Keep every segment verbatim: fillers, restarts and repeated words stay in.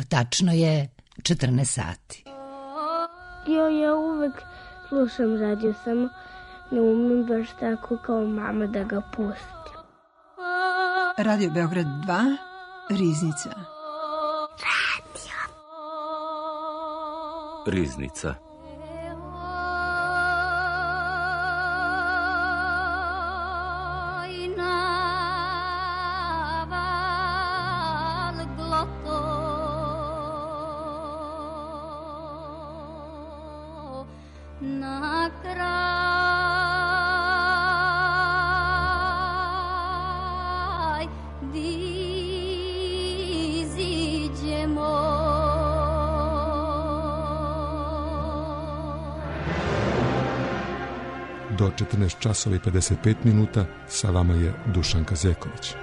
Tačno je četrnaest sati. Jo, ja uvek slušam radio, samo ne umem baš tako kao mama da ga pustim. Radio Beograd dva, Riznica. Radio. Riznica. Do četrnaest časova i pedeset pet minuta sa vama je Dušan Kazeković.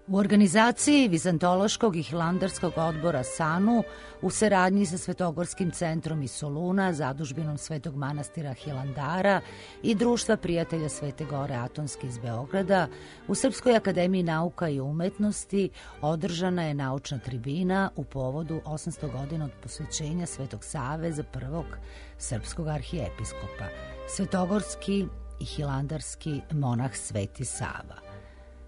U organizaciji Vizantološkog i Hilandarskog odbora SANU u saradnji sa Svetogorskim centrom iz Soluna, zadužbinom Svetog manastira Hilandara i Društva prijatelja Svete Gore Atonske iz Beograda, u Srpskoj akademiji nauka i umetnosti održana je naučna tribina u povodu osamsto godina od posvećenja Svetog Save za prvog srpskog arhijepiskopa, svetogorski i hilandarski monah Sveti Sava.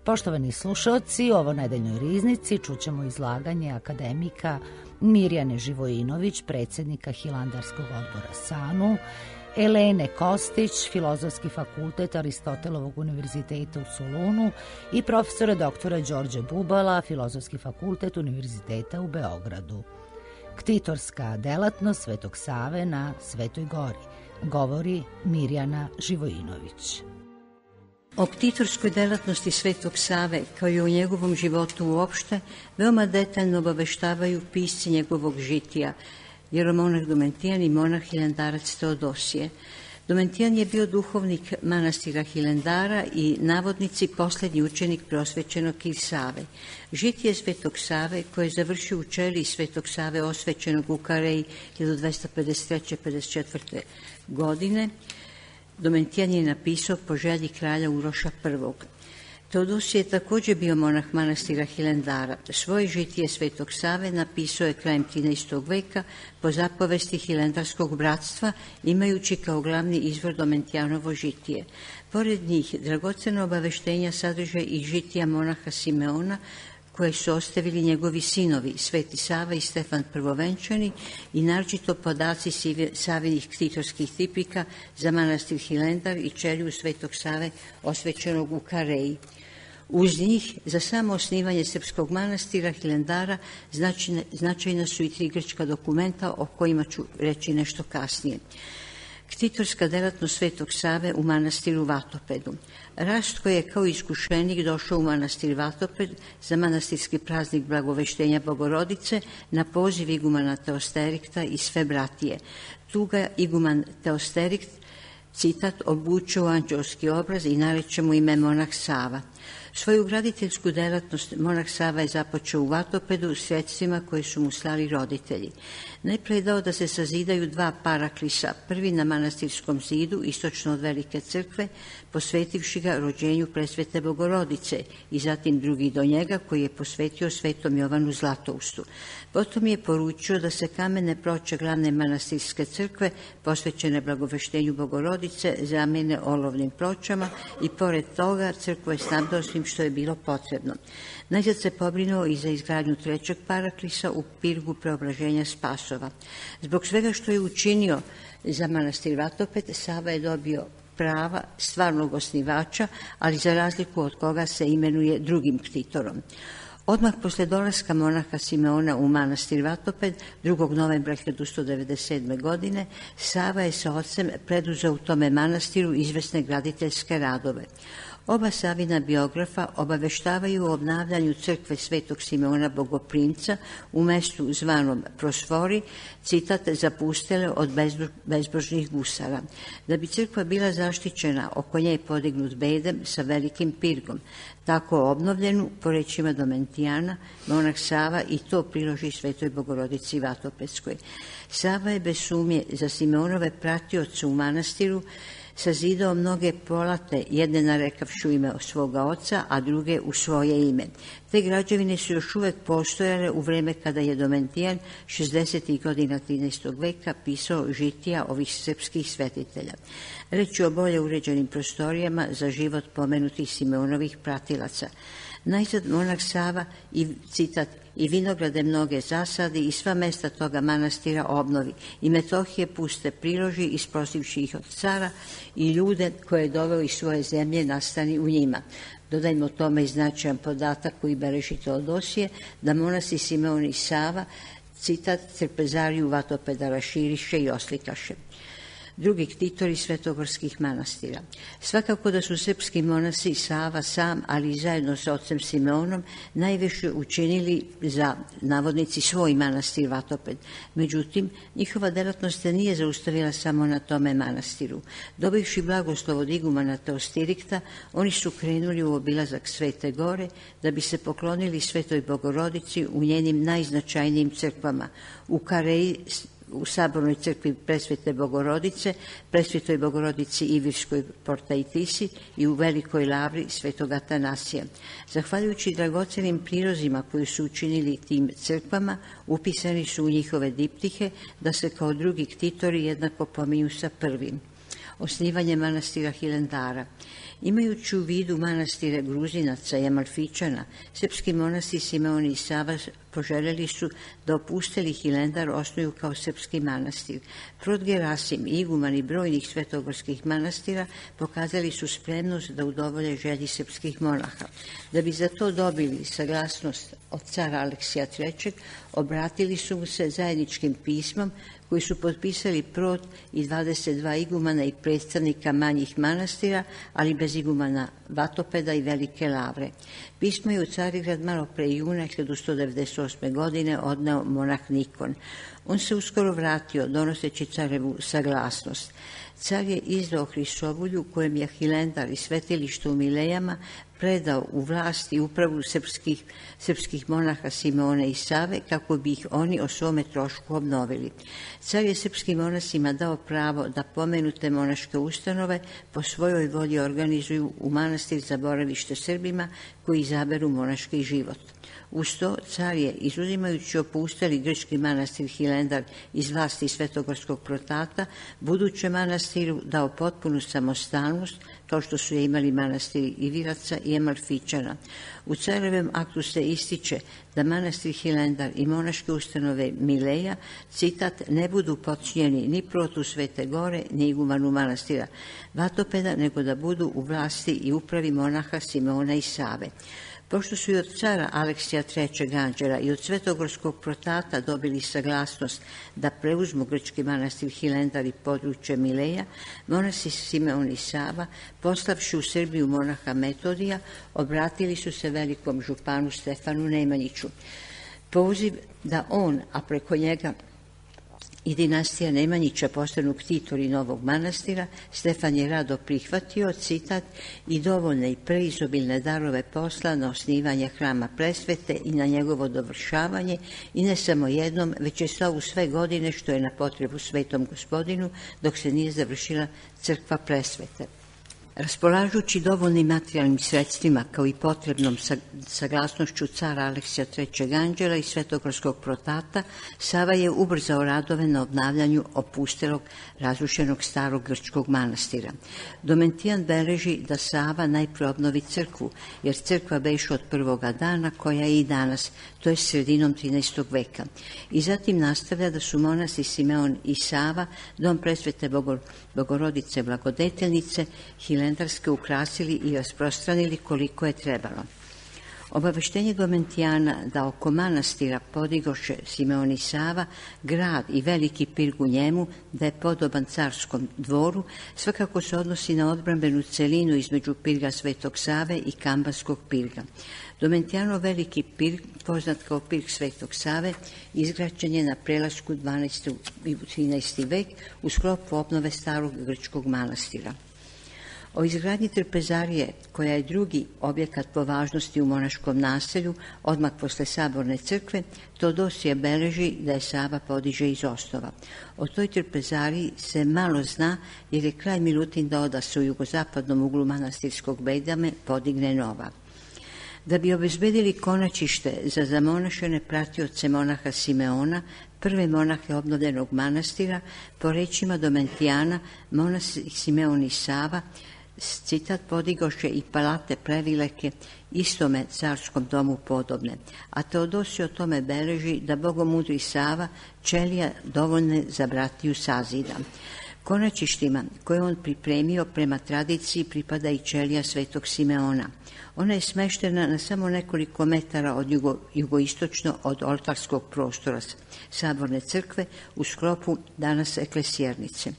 Poštovani slušalci, u ovo nedeljnoj riznici čućemo izlaganje akademika Mirjane Živojinović, predsjednika Hilandarskog odbora SANU, Elene Kostić, Filozofski fakultet Aristotelovog univerziteta u Solunu i profesora doktora Đorđe Bubala, Filozofski fakultet Univerziteta u Beogradu. Ktitorska delatnost Svetog Save na Svetoj Gori, govori Mirjana Živojinović. O ktitorskoj delatnosti Svetog Save, kao i o njegovom životu uopšte, veoma detaljno obaveštavaju pisci njegovog žitija, jeromonah Domentijan i monah hilandarac Teodosije. Domentijan je bio duhovnik manastira Hilandara i navodnici posljednji učenik preosvećenog Save. Žitije Svetog Save, koje je završio u čeliji Svetog Save osvećenog u Kareji hiljadu dvesta pedeset treće do pedeset četvrte. godine, Domentijan je napisao po želji kralja Uroša prvog. Teodosije je također bio monah manastira Hilandara. Svoje žitije Svetog Save napisao je krajem trinaestog veka po zapovesti Hilandarskog bratstva, imajući kao glavni izvor Domentijanovo žitije. Pored njih, dragocena obaveštenja sadrže i žitija monaha Simeona, koje su ostavili njegovi sinovi, Sveti Sava i Stefan Prvovenčani, i naročito podaci Savinih ktitorskih tipika za manastir Hilandar i čeliju Svetog Save osvećenog u Kareji. Uz njih, za samo osnivanje srpskog manastira Hilandara, značajna, značajna su i tri grčka dokumenta o kojima ću reći nešto kasnije. Ktitorska delatnost Svetog Save u manastiru Vatopedu. Rast koji je kao iskušenik došao u manastir Vatoped za manastirski praznik Blagoveštenja Bogorodice na poziv igumana Teosterikta i sve bratije. Tu ga iguman Teosterikt, citat, obuče u anđelski obraz i nareče mu ime monah Sava. Svoju graditeljsku delatnost monah Sava je započeo u Vatopedu sredstvima koje su mu slali roditelji. Najprije je dao da se sazidaju dva paraklisa, prvi na manastirskom zidu, istočno od Velike crkve, posvetivši ga rođenju presvete Bogorodice, i zatim drugi do njega, koji je posvetio svetom Jovanu Zlatoustu. Potom je poručio da se kamene ploče glavne manastirske crkve, posvećene Blagoveštenju Bogorodice, zamijene olovnim pločama i pored toga crkvu je snabdao svim što je bilo potrebno. Najzad se pobrinuo i za izgradnju trećeg paraklisa u pirgu preobraženja Spasova. Zbog svega što je učinio za manastir Vatoped, Sava je dobio prava stvarnog osnivača, ali za razliku od koga se imenuje drugim ktitorom. Odmah posle dolaska monaha Simeona u manastir Vatoped, drugog novembra hiljadu sto devedeset sedme. godine, Sava je sa ocem preduzeo u tome manastiru izvesne graditeljske radove. Oba Savina biografa obaveštavaju o obnavljanju crkve Svetog Simeona Bogoprimca u mestu zvanom Prosfori, citat, zapustele od bezbožnih gusara. Da bi crkva bila zaštićena, oko nje je podignut bedem sa velikim pirgom. Tako obnovljenu, po rečima Domentijana, monah Sava i to priloži Svetoj Bogorodici Vatopedskoj. Sava je bez sumnje za Simeonove pratioce u manastiru sazidao mnoge polate, jedne narekavši u ime svoga oca, a druge u svoje ime. Te građevine su još uvek postojale u vreme kada je Domentijan šezdesetih godina trinaestog veka pisao žitija ovih srpskih svetitelja. Reč je o bolje uređenim prostorijama za život pomenutih Simeonovih pratilaca. Najzad monah Sava i citat i vinograde mnoge zasadi i sva mesta toga manastira obnovi i Metohije puste priloži isprosivši ih od cara i ljude koje je doveo iz svoje zemlje nastani u njima. Dodajmo tome i značajan podatak koji beleži Teodosije da monasi Simeon i Sava citat trpezariju Vatopeda raširiše i oslikaše. Drugi ktitori svetogorskih manastira. Svakako da su srpski monasi Sava sam, ali i zajedno sa ocem Simeonom, najviše učinili za, navodnici, svoj manastir Vatoped. Međutim, njihova delatnost se nije zaustavila samo na tome manastiru. Dobivši blagoslov od igumana Teostirikta, oni su krenuli u obilazak Svete Gore da bi se poklonili Svetoj Bogorodici u njenim najznačajnijim crkvama. U Kareji, u sabornoj crkvi Presvete Bogorodice, Presvetoj Bogorodici Ivirskoj Portaitisi i u Velikoj Lavri Svetog Atanasija. Zahvaljujući dragocenim prilozima koji su učinili tim crkvama, upisani su u njihove diptihe da se kao drugi ktitori jednako pominju sa prvim. Osnivanje manastira Hilendara. Imajući u vidu manastire Gruzinaca i Amalfičana, srpski monasi Simeon i Sava poželjeli su da opusteli Hilendar osnuju kao srpski manastir. Prot Gerasim, iguman i brojnih svetogorskih manastira pokazali su spremnost da udovolje želji srpskih monaha. Da bi za to dobili saglasnost od cara Aleksija trećeg, obratili su mu se zajedničkim pismom koji su potpisali Prot i dvadeset dva igumana i predstavnika manjih manastira, ali bez igumana Vatopeda i Velike Lavre. Pismo je u Carigrad malo pre juna hiljadu sto devedeset osme. godine odneo monah Nikon. On se uskoro vratio, donoseći carevu saglasnost. Car je izdao Hrisovulju kojem je Hilendar i svetilište u Milejama predao u vlast i upravu srpskih, srpskih monaha Simeona i Save kako bi ih oni o svome trošku obnovili. Car je srpskim monasima dao pravo da pomenute monaške ustanove po svojoj volji organizuju u manastir za boravište Srbima koji izaberu monaški život. Uz to, car je, izuzimajući opustali grčki manastir Hilendar iz vlasti Svetogorskog protata, budućem manastiru dao potpunu samostalnost, kao što su je imali manastiri Iviraca i Amalfičana. U carevem aktu se ističe da manastir Hilendar i monaške ustanove Mileja, citat, ne budu počinjeni ni protu Svete Gore, ni igumanu manastira Vatopeda, nego da budu u vlasti i upravi monaha Simeona i Save. Pošto su i od cara Aleksija trećeg. Anđela i od Svetogorskog protata dobili saglasnost da preuzmu grčki manastir Hilendar i područje Mileja, monasi Simeon i Sava, poslavši u Srbiju monaha Metodija, obratili su se velikom županu Stefanu Nemanjiću. Poziv da on, a preko njega i dinastija Nemanjića postanu ktitori novog manastira, Stefan je rado prihvatio, citat, i dovoljne i preizobilne darove posla na osnivanje hrama Presvete i na njegovo dovršavanje, i ne samo jednom, već je slao u sve godine što je na potrebu Svetom Gospodinu, dok se nije završila crkva Presvete. Raspolažući dovoljnim materijalnim sredstvima kao i potrebnom saglasnošću cara Aleksija trećeg. Anđela i Svetogorskog protata, Sava je ubrzao radove na obnavljanju opustelog, razrušenog starog grčkog manastira. Domentijan beleži da Sava najpre obnovi crkvu, jer crkva beše od prvoga dana, koja je i danas, to je sredinom trinaestog. veka. I zatim nastavlja da su monasi Simeon i Sava dom Presvete Bogor, Bogorodice Blagodetelnice hilendarske ukrasili i rasprostranili koliko je trebalo. Obaveštenje Domentijana da oko manastira podigoše Simeon i Sava grad i veliki pirg u njemu, da je podoban carskom dvoru, svakako se odnosi na odbrambenu celinu između pirga Svetog Save i Kambanskog pirga. Domentijanov veliki pirg, poznat kao pirg Svetog Save, izgrađen je na prelasku dvanaesti i trinaesti. vek u sklopu obnove starog grčkog manastira. O izgradnji trpezarije, koja je drugi objekat po važnosti u monaškom naselju, odmah posle Saborne crkve, Teodosije beleži da je Sava podiže iz osnova. O toj trpezariji se malo zna, jer je kralj Milutin dao da se u jugozapadnom uglu manastirskog bedame podigne nova. Da bi obezbedili konačište za zamonašene pratioce monaha Simeona, prve monahe obnovljenog manastira, po rečima Domentijana, monah Simeon i Sava, citat, podigoše i palate previleke istome carskom domu podobne. A Teodosije o tome beleži da bogomudri Sava ćelija dovoljne za bratiju sazida. Konačištima koje on pripremio prema tradiciji pripada i ćelija svetog Simeona. Ona je smeštena na samo nekoliko metara od jugo, jugoistočno od oltarskog prostora Saborne crkve u sklopu danas eklesjernice.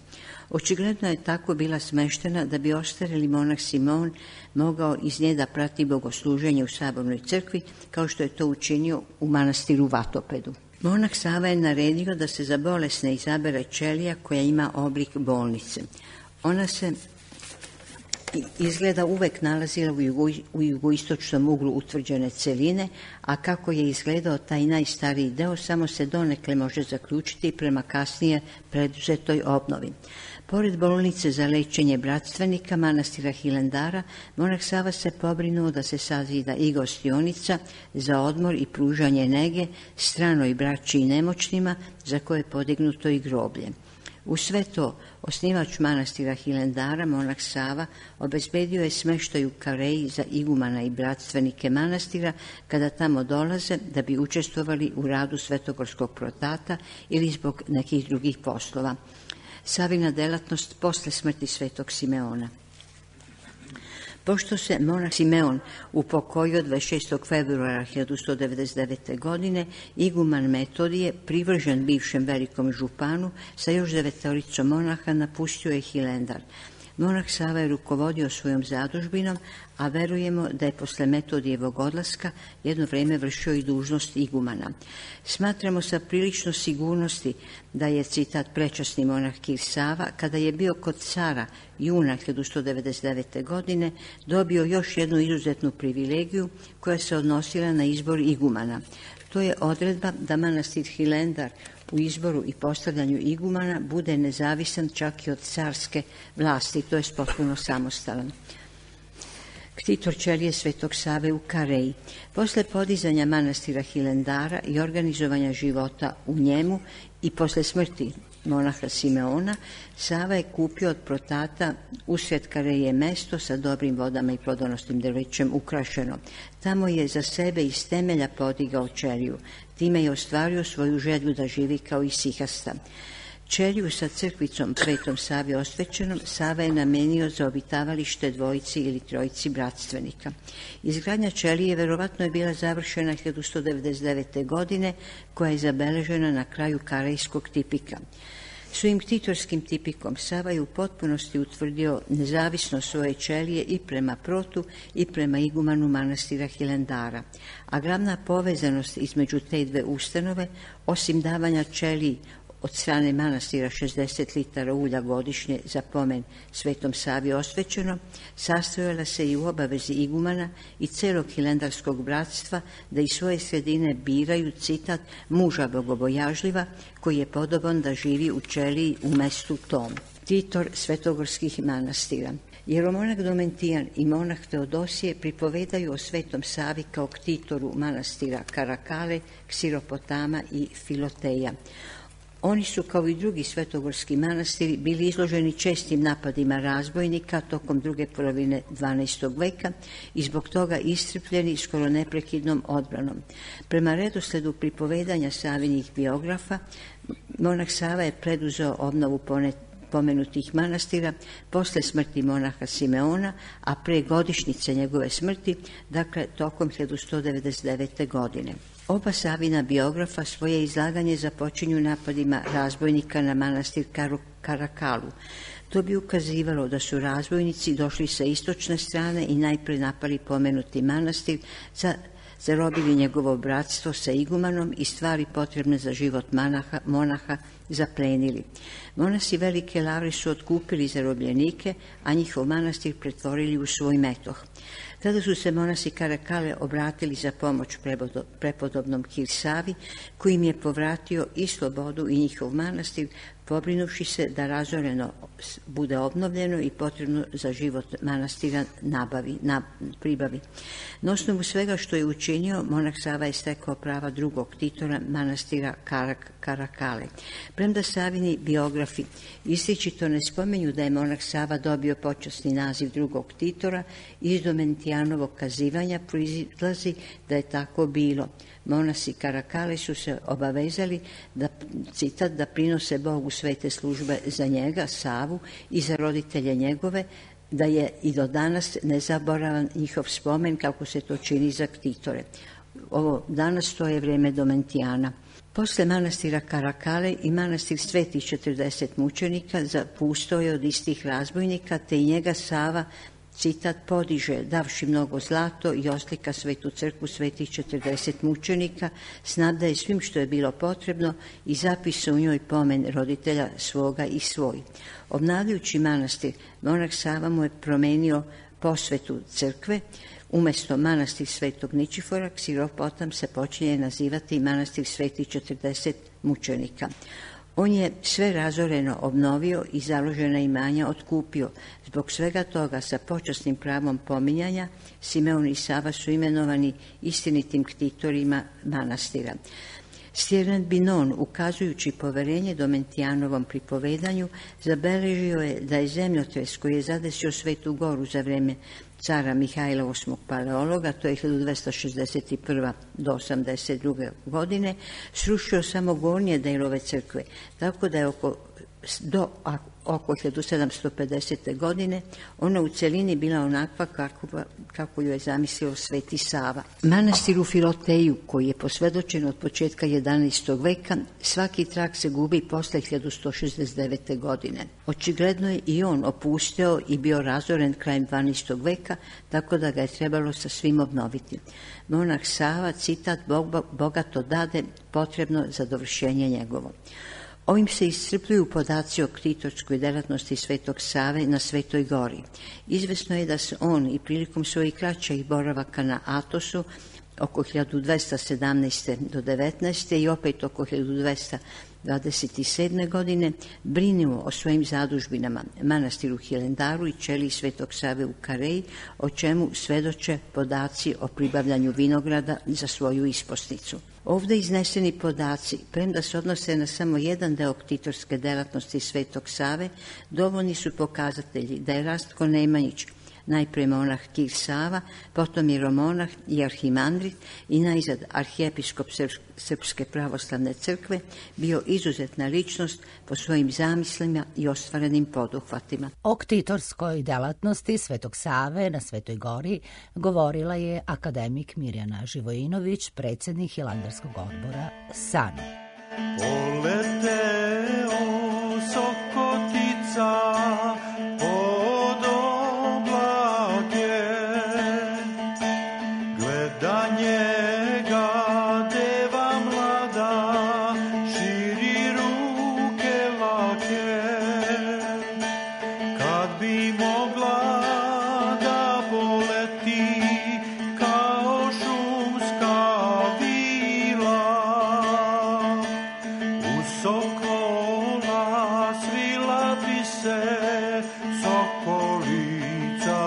Očigledno je tako bila smeštena da bi ostareli monah Simeon mogao iz nje da prati bogosluženje u Sabornoj crkvi, kao što je to učinio u manastiru Vatopedu. Monah Sava je naredio da se za bolesne izabere ćelija koja ima oblik bolnice. Ona se izgleda uvek nalazila u, jugo, u jugoistočnom uglu utvrđene celine, a kako je izgledao taj najstariji deo, samo se donekle može zaključiti prema kasnije preduzetoj obnovi. Pored bolnice za lečenje bratstvenika manastira Hilandara, monah Sava se pobrinuo da se sazida i gostionica za odmor i pružanje nege stranoj braći i nemoćnima, za koje je podignuto i groblje. U sve to, osnivač manastira Hilandara, monah Sava, obezbedio je smeštaj u Kareji za igumana i bratstvenike manastira kada tamo dolaze da bi učestvovali u radu svetogorskog protata ili zbog nekih drugih poslova. Savina delatnost posle smrti svetog Simeona. Pošto se monah Simeon upokojio dvadeset šestog februara hiljadu sto devedeset devete. godine, iguman Metodije, privržen bivšem velikom županu, sa još devetoricom monaha napustio je Hilandar. Monah Sava je rukovodio svojom zadužbinom, a verujemo da je posle Metodijevog odlaska jedno vreme vršio i dužnost igumana. Smatramo sa prilično sigurnosti da je, citat, prečasni monah Kir Sava, kada je bio kod cara juna hiljadu sto devedeset devete. godine, dobio još jednu izuzetnu privilegiju koja se odnosila na izbor igumana. To je odredba da manastir Hilandar u izboru i postavljanju igumana bude nezavisan čak i od carske vlasti, to je potpuno samostalan. Ktitor ćelije svetog Save u Kareji. Posle podizanja manastira Hilandara i organizovanja života u njemu i posle smrti monaha Simeona, Sava je kupio od protata usred Kareje mesto sa dobrim vodama i plodonosnim drvećem ukrašeno. Tamo je za sebe iz temelja podigao ćeliju. Time je ostvario svoju želju da živi kao i sihasta. Ćeliju sa crkvicom Svetom Savi osvećenom Sava je namenio za obitavalište dvojici ili trojici bratstvenika. Izgradnja ćelije verovatno je bila završena hiljadu sto devedeset devete. godine, koja je zabeležena na kraju karejskog tipika. Svojim ktitorskim tipikom Sava je u potpunosti utvrdio nezavisnost svoje ćelije i prema protu i prema igumanu manastira Hilandara, a glavna povezanost između te dve ustanove, osim davanja ćeliji od strane manastira šezdeset litara ulja godišnje za pomen Svetom Savi osvećeno, sastojala se i u obavezi igumana i celog hilandarskog bratstva da iz svoje sredine biraju, citat, muža bogobojažljiva koji je podoban da živi u ćeliji u mestu tom. Ktitor svetogorskih manastira. Jeromonah Domentijan i monah Teodosije pripovedaju o Svetom Savi kao ktitoru manastira Karakale, Ksiropotama i Filoteja. Oni su, kao i drugi svetogorski manastiri, bili izloženi čestim napadima razbojnika tokom druge polovine dvanaestog. veka i zbog toga iscrpljeni skoro neprekidnom odbranom. Prema redosledu pripovedanja Savinih biografa, monah Sava je preduzeo obnovu pomenutih manastira posle smrti monaha Simeona, a pre godišnjice njegove smrti, dakle tokom hiljadu sto devedeset devete. godine. Oba Savina biografa svoje izlaganje započinju napadima razbojnika na manastir Karakalu. To bi ukazivalo da su razbojnici došli sa istočne strane i najpre napali pomenuti manastir sa zarobili njegovo bratstvo sa igumanom i stvari potrebne za život monaha, monaha zaplenili. Monasi Velike Lavre su otkupili zarobljenike, a njihov manastir pretvorili u svoj metoh. Tada su se monasi Karakale obratili za pomoć prepodobnom Kir Savi, koji im je povratio i slobodu i njihov manastir, pobrinuši se da razoreno bude obnovljeno i potrebno za život manastira nabavi, na, pribavi. Na osnovu svega što je učinio, monah Sava je stekao prava drugog titora manastira Karak, Karakale. Premda Savini biografi ističito ne spomenju da je monah Sava dobio počasni naziv drugog titora, iz Domentijanovog kazivanja proizlazi da je tako bilo. Monasi Karakale su se obavezali da, citat, da prinose Bogu svete službe za njega, Savu, i za roditelje njegove, da je i do danas nezaboravan njihov spomen kako se to čini za ktitore. Ovo danas to je vrijeme Domentijana. Posle manastira Karakale i manastir Svetih četrdeset mučenika zapustao je od istih razbojnika, te i njega Sava, citat, podiže, davši mnogo zlato i oslika svetu crkvu Svetih četrdeset mučenika, snabdaje svim što je bilo potrebno i zapisa u njoj pomen roditelja svoga i svoj. Obnavljajući manastir, monah Sava mu je promenio posvetu crkve. Umesto manastir Svetog Ničifora, Ksiropotam se počinje nazivati manastir Svetih četrdeset mučenika. On je sve razoreno obnovio i založena imanja otkupio. Zbog svega toga sa počasnim pravom pominjanja Simeon i Sava su imenovani istinitim ktitorima manastira. Stjernat Binon, ukazujući poverenje Domentijanovom pripovedanju, zabeležio je da je zemljotres koji je zadesio Svetu Goru za vreme cara Mihajla osmog Paleologa, to je hiljadu dvesta šezdeset prve do osamdeset druge godine, srušio samo gornje delove crkve, tako da je oko, do oko hiljadu sedamsto pedesete godine ona u celini bila onakva kako, kako ju je zamislio Sveti Sava. Manastir u Filoteju, koji je posvedočen od početka jedanaestog veka, svaki trag se gubi posle hiljadu sto šezdeset devete godine. Očigledno je i on opusteo i bio razoren krajem dvanaestog veka, tako da ga je trebalo sa svim obnoviti. Monah Sava, citat, bogato dade potrebno za dovršenje njegovo. Ovim se iscrpljuju podaci o ktitorskoj delatnosti Svetog Save na Svetoj Gori. Izvesno je da se on i prilikom svojih kraćih boravaka na Atosu oko hiljadu dvesta sedamnaeste do devetnaeste i opet oko hiljadu dvesta dvadeset sedme godine brinuo o svojim zadužbinama, manastiru Hilandaru i ćeliji Svetog Save u Kareji, o čemu svedoče podaci o pribavljanju vinograda za svoju isposnicu. Ovdje izneseni podaci, premda se odnose na samo jedan deo ktitorske delatnosti Svetog Save, dovoljni su pokazatelji da je Rastko Nemanjić, najprije monah Kir Sava, potom jeromonah i arhimandrit i najzad arhijepiskop Srpske pravoslavne crkve, bio izuzetna ličnost po svojim zamislima i ostvarenim poduhvatima. O ktitorskoj delatnosti Svetog Save na Svetoj Gori govorila je akademik Mirjana Živojinović, predsjednik Hilandarskog odbora San. Poleteo Sokotica pod oblake, gleda njega deva mlada, širi ruke lake. Kad bi mogla da poleti kao šumska vila, u sokola svila bi se sokolica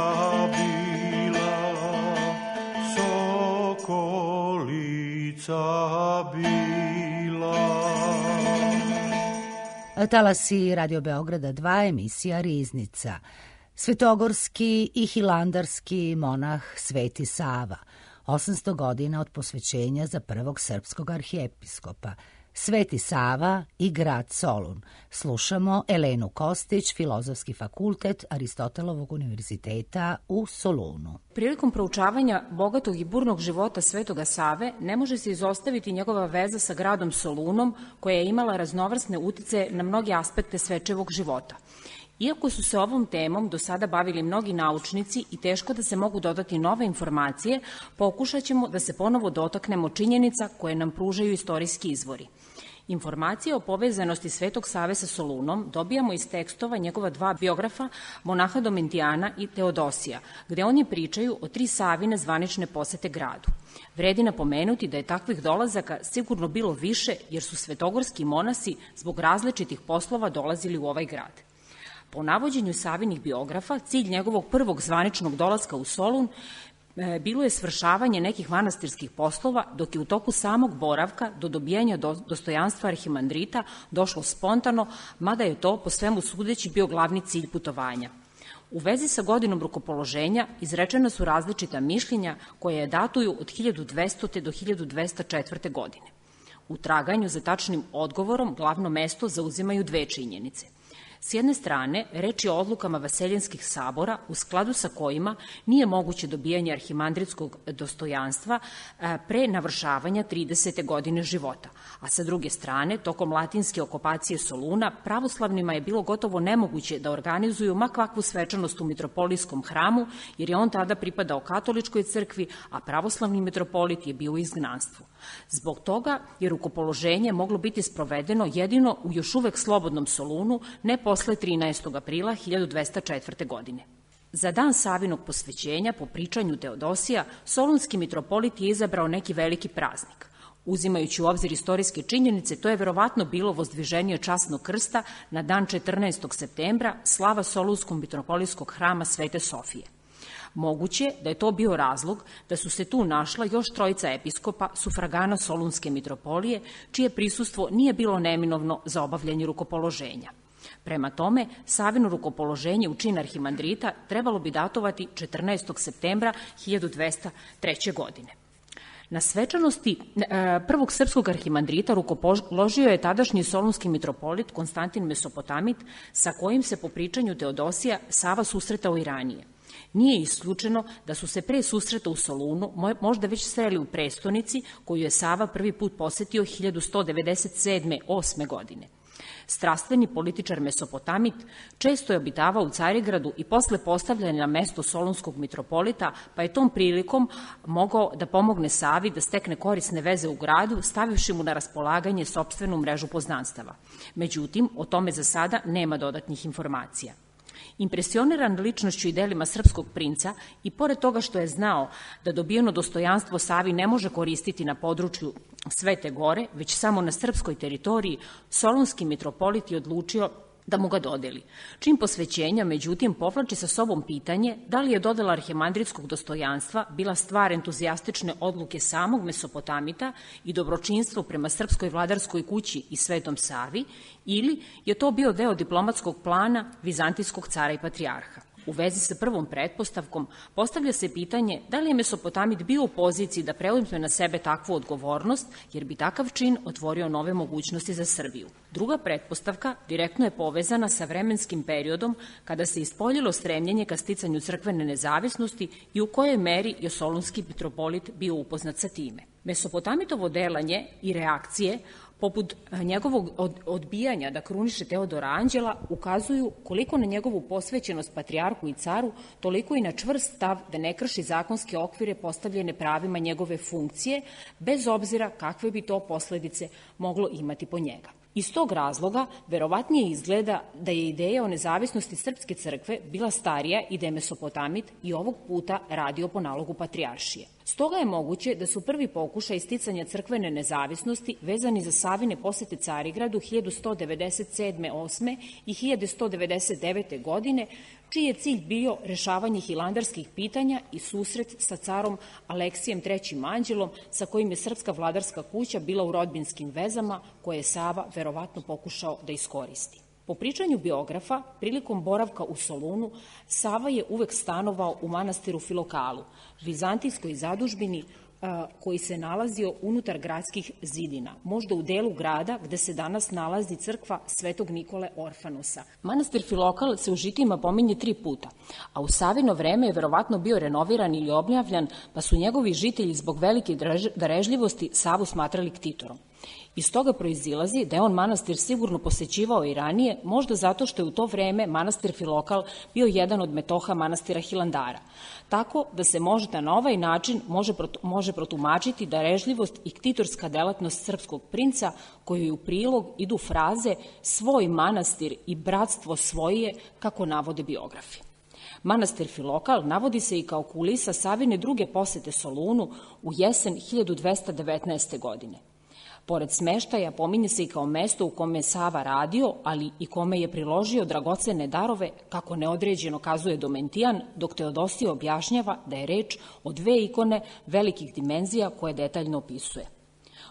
bila, sokolica bila. Talasi Radio Beograda dva, emisija Riznica. Svetogorski i hilandarski monah Sveti Sava, osamsto godina od posvećenja za prvog srpskog arhijepiskopa. Sveti Sava i grad Solun. Slušamo Elenu Kostić, Filozofski fakultet Aristotelovog univerziteta u Solunu. Prilikom proučavanja bogatog i burnog života Svetoga Save ne može se izostaviti njegova veza sa gradom Solunom, koja je imala raznovrsne uticaje na mnoge aspekte svečevog života. Iako su se ovom temom do sada bavili mnogi naučnici i teško da se mogu dodati nove informacije, pokušat ćemo da se ponovo dotaknemo činjenica koje nam pružaju istorijski izvori. Informacije o povezanosti Svetog Save sa Solunom dobijamo iz tekstova njegova dva biografa, monaha Domentijana i Teodosija, gde oni pričaju o tri Savine zvanične posete gradu. Vredi napomenuti da je takvih dolazaka sigurno bilo više, jer su svetogorski monasi zbog različitih poslova dolazili u ovaj grad. Po navođenju Savinih biografa, cilj njegovog prvog zvaničnog dolaska u Solun bilo je svršavanje nekih manastirskih poslova, dok je u toku samog boravka do dobijanja dostojanstva arhimandrita došlo spontano, mada je to po svemu sudeći bio glavni cilj putovanja. U vezi sa godinom rukopoloženja izrečena su različita mišljenja koje je datuju od hiljadu dvestite do hiljadu dvesta četvrte. godine. U traganju za tačnim odgovorom glavno mesto zauzimaju dve činjenice. S jedne strane, reč je o odlukama vaseljenskih sabora, u skladu sa kojima nije moguće dobijanje arhimandritskog dostojanstva pre navršavanja tridesete godine života, a sa druge strane, tokom latinske okupacije Soluna, pravoslavnima je bilo gotovo nemoguće da organizuju ma kakvu svečanost u mitropolijskom hramu, jer je on tada pripadao katoličkoj crkvi, a pravoslavni mitropolit je bio u izgnanstvu. Zbog toga je rukopoloženje moglo biti sprovedeno jedino u još uvek slobodnom Solunu, ne posle trinaestog aprila hiljadu dvesta četvrte. godine. Za dan Savinog posvećenja, po pričanju Teodosija, solunski mitropolit je izabrao neki veliki praznik. Uzimajući u obzir istorijske činjenice, to je verovatno bilo vozdviženje časnog krsta na dan četrnaestog septembra, slava Solunskog mitropolijskog hrama Svete Sofije. Moguće da je to bio razlog da su se tu našla još trojica episkopa sufragana Solunske mitropolije, čije prisustvo nije bilo neminovno za obavljanje rukopoloženja. Prema tome, Savino rukopoloženje u čin arhimandrita trebalo bi datovati četrnaestog septembra hiljadu dvesta treće. godine. Na svečanosti prvog srpskog arhimandrita rukopoložio je tadašnji solunski mitropolit Konstantin Mesopotamit, sa kojim se po pričanju Teodosija Sava susretao i ranije. Nije isključeno da su se pre susreta u Solunu možda već sreli u prestonici koju je Sava prvi put posetio hiljadu sto devedeset sedme osme. godine. Strastveni političar Mesopotamit često je obitavao u Carigradu i posle postavljanja na mesto solunskog mitropolita, pa je tom prilikom mogao da pomogne Savi da stekne korisne veze u gradu, stavivši mu na raspolaganje sopstvenu mrežu poznanstava. Međutim, o tome za sada nema dodatnih informacija. Impresioniran ličnošću i delima srpskog princa i pored toga što je znao da dobijeno dostojanstvo Savi ne može koristiti na području Svete Gore, već samo na srpskoj teritoriji, solunski mitropolit je odlučio da mu ga dodeli. Čim posvećenja, međutim, povlači sa sobom pitanje da li je dodela arhimandritskog dostojanstva bila stvar entuzijastične odluke samog Mesopotamita i dobročinstvo prema srpskoj vladarskoj kući i Svetom Savi, ili je to bio deo diplomatskog plana vizantijskog cara i patrijarha. U vezi sa prvom pretpostavkom postavlja se pitanje da li je Mesopotamit bio u poziciji da preuzme na sebe takvu odgovornost, jer bi takav čin otvorio nove mogućnosti za Srbiju. Druga pretpostavka direktno je povezana sa vremenskim periodom kada se ispoljilo stremljenje ka sticanju crkvene nezavisnosti i u kojoj meri je solunski mitropolit bio upoznat sa time. Mesopotamitovo delanje i reakcije poput njegovog odbijanja da kruniše Teodora Anđela, ukazuju koliko na njegovu posvećenost patrijarhu i caru, toliko i na čvrst stav da ne krši zakonske okvire postavljene pravima njegove funkcije, bez obzira kakve bi to posledice moglo imati po njega. Iz tog razloga, verovatnije izgleda da je ideja o nezavisnosti Srpske crkve bila starija i da je Mesopotamit i ovog puta radio po nalogu patrijaršije. Stoga je moguće da su prvi pokušaj isticanja crkvene nezavisnosti vezani za Savine posete Carigradu hiljadu sto devedeset sedme osme i hiljadu sto devedeset devete. godine, čiji je cilj bio rešavanje hilandarskih pitanja i susret sa carom Aleksijem trećim Anđelom, sa kojim je srpska vladarska kuća bila u rodbinskim vezama, koje je Sava verovatno pokušao da iskoristi. Po pričanju biografa, prilikom boravka u Solunu, Sava je uvek stanovao u manastiru Filokalu, vizantijskoj zadužbini koji se nalazio unutar gradskih zidina, možda u delu grada gde se danas nalazi crkva Svetog Nikole Orfanosa. Manastir Filokal se u žitima pominje tri puta, a u Savino vreme je verovatno bio renoviran ili obnavljan, pa su njegovi žitelji zbog velike darežljivosti Savu smatrali ktitorom. Iz toga proizilazi da je on manastir sigurno posećivao i ranije, možda zato što je u to vreme manastir Filokal bio jedan od metoha manastira Hilandara. Tako da se možda na ovaj način može, može protumačiti darežljivost i ktitorska delatnost srpskog princa, koju u prilog idu fraze svoj manastir i bratstvo svoje, kako navode biografi. Manastir Filokal navodi se i kao kulisa Savine druge posete Solunu u jesen hiljadu dvesta devetnaeste. godine. Pored smeštaja, pominje se i kao mesto u kome je Sava radio, ali i kome je priložio dragocene darove, kako neodređeno kazuje Domentijan, dok Teodosije objašnjava da je reč o dve ikone velikih dimenzija koje detaljno opisuje.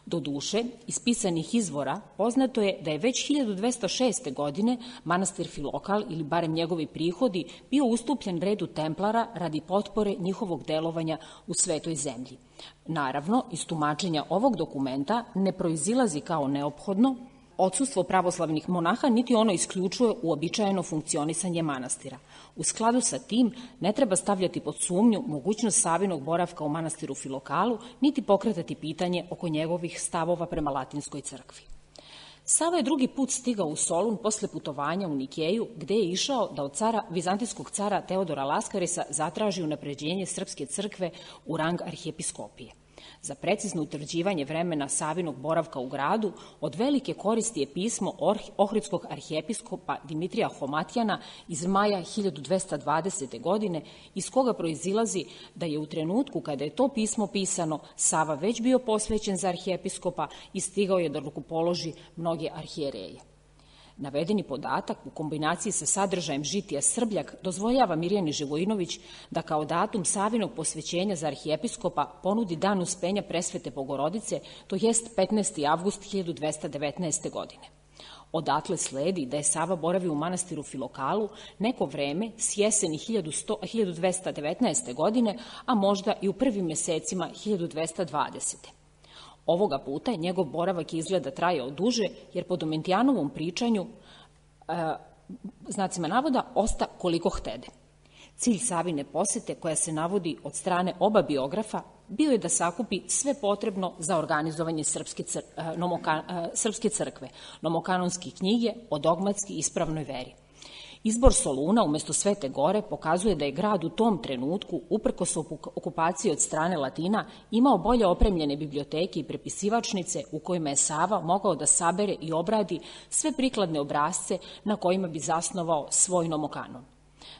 Doduše, iz pisanih izvora poznato je da je već hiljadu dvesta šeste. godine manastir Filokal, ili barem njegovi prihodi, bio ustupljen redu templara radi potpore njihovog delovanja u svetoj zemlji. Naravno, iz tumačenja ovog dokumenta ne proizilazi kao neophodno odsustvo pravoslavnih monaha, niti ono isključuje uobičajeno funkcionisanje manastira. U skladu sa tim ne treba stavljati pod sumnju mogućnost Savinog boravka u manastiru Filokalu, niti pokretati pitanje oko njegovih stavova prema latinskoj crkvi. Sava je drugi put stigao u Solun posle putovanja u Nikeju, gde je išao da od cara, vizantijskog cara Teodora Laskarisa zatraži unapređenje srpske crkve u rang arhijepiskopije. Za precizno utvrđivanje vremena Savinog boravka u gradu od velike koristi je pismo ohridskog arhijepiskopa Dimitrija Homatijana iz maja hiljadu dvesta dvadesete. godine, iz koga proizilazi da je u trenutku kada je to pismo pisano Sava već bio posvećen za arhijepiskopa i stigao je da rukopoloži mnoge arhijereje. Navedeni podatak u kombinaciji sa sadržajem žitija Srbljak dozvoljava Mirjani Živojinović da kao datum Savinog posvećenja za arhijepiskopa ponudi dan uspenja presvete Bogorodice, to jest petnaesti avgust hiljadu dvesta devetnaeste. godine. Odatle sledi da je Sava boravio u manastiru Filokalu neko vreme s jeseni hiljadu dvesta devetnaeste. godine, a možda i u prvim mesecima hiljadu dvesta dvadesete. Ovoga puta njegov boravak izgleda trajao duže, jer po Domentijanovom pričanju, e, znacima navoda, osta koliko htede. Cilj Savine posete, koja se navodi od strane oba biografa, bio je da sakupi sve potrebno za organizovanje srpske, cr, nomoka, srpske crkve, nomokanonske knjige o dogmatski ispravnoj veri. Izbor Soluna umesto Svete Gore pokazuje da je grad u tom trenutku, uprkos okupaciji od strane Latina, imao bolje opremljene biblioteke i prepisivačnice u kojima je Sava mogao da sabere i obradi sve prikladne obrasce na kojima bi zasnovao svoj nomokanon.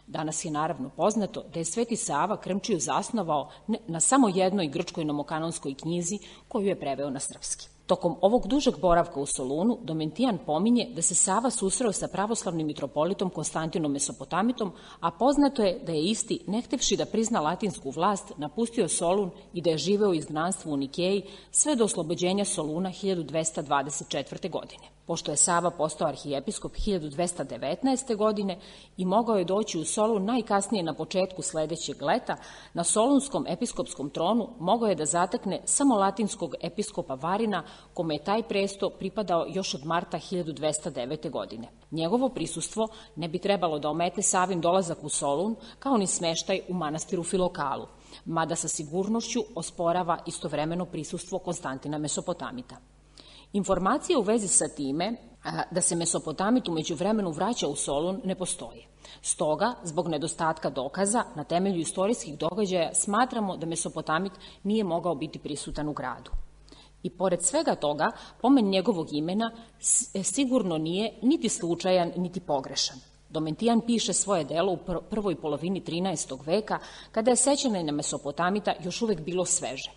Danas je naravno poznato da je Sveti Sava Krmčiju zasnovao na samo jednoj grčkoj nomokanonskoj knjizi koju je preveo na srpski. Tokom ovog dužeg boravka u Solunu, Domentijan pominje da se Sava susreo sa pravoslavnim mitropolitom Konstantinom Mesopotamitom, a poznato je da je isti, ne htevši da prizna latinsku vlast, napustio Solun i da je živeo u izgnanstvu u Nikeji sve do oslobođenja Soluna hiljadu dvesta dvadeset četvrte. godine. Pošto je Sava postao arhijepiskop hiljadu dvesta devetnaeste. godine i mogao je doći u Solun najkasnije na početku sledećeg leta, na solunskom episkopskom tronu mogao je da zatekne samo latinskog episkopa Varina, kome je taj presto pripadao još od marta hiljadu dvesta devete. godine. Njegovo prisustvo ne bi trebalo da omete Savin dolazak u Solun, kao ni smeštaj u manastiru Filokalu, mada sa sigurnošću osporava istovremeno prisustvo Konstantina Mesopotamita. Informacije u vezi sa time da se Mesopotamit umeđu vremenu vraća u Solun ne postoje. Stoga, zbog nedostatka dokaza, na temelju istorijskih događaja smatramo da Mesopotamit nije mogao biti prisutan u gradu. I pored svega toga, pomen njegovog imena sigurno nije niti slučajan, niti pogrešan. Domentijan piše svoje delo u prvoj polovini trinaestog veka, kada je sećanje na Mesopotamita još uvek bilo sveže.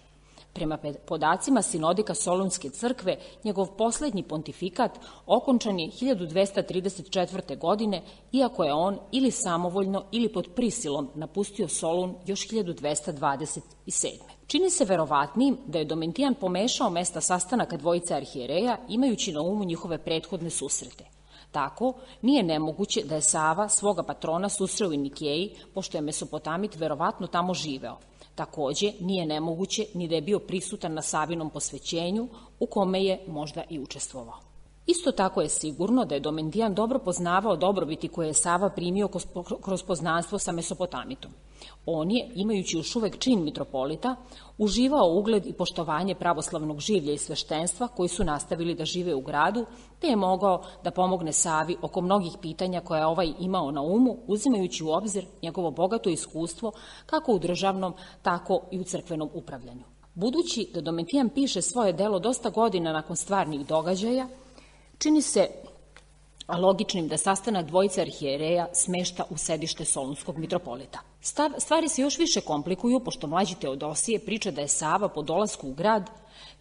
Prema podacima Sinodika Solunske crkve, njegov poslednji pontifikat okončan je hiljadu dvesta trideset četvrte. godine, iako je on ili samovoljno ili pod prisilom napustio Solun još hiljadu dvesta dvadeset sedme. Čini se verovatnim da je Domentijan pomešao mesta sastanaka dvojice arhijereja, imajući na umu njihove prethodne susrete. Tako, nije nemoguće da je Sava svoga patrona susreo u Nikeji, pošto je Mesopotamit verovatno tamo živeo. Takođe, nije nemoguće ni da je bio prisutan na Savinom posvećenju, u kome je možda i učestvovao. Isto tako je sigurno da je Domentijan dobro poznavao dobrobiti koje je Sava primio kroz poznanstvo sa Mesopotamitom. On je, imajući još uvek čin mitropolita, uživao ugled i poštovanje pravoslavnog življa i sveštenstva koji su nastavili da žive u gradu, te je mogao da pomogne Savi oko mnogih pitanja koje je ovaj imao na umu, uzimajući u obzir njegovo bogato iskustvo kako u državnom, tako i u crkvenom upravljanju. Budući da Domitijan piše svoje delo dosta godina nakon stvarnih događaja, čini se logičnim da sastanak dvojice arhijereja smešta u sedište solunskog mitropolita. Stvari se još više komplikuju, pošto mlađi Teodosije priča da je Sava po dolasku u grad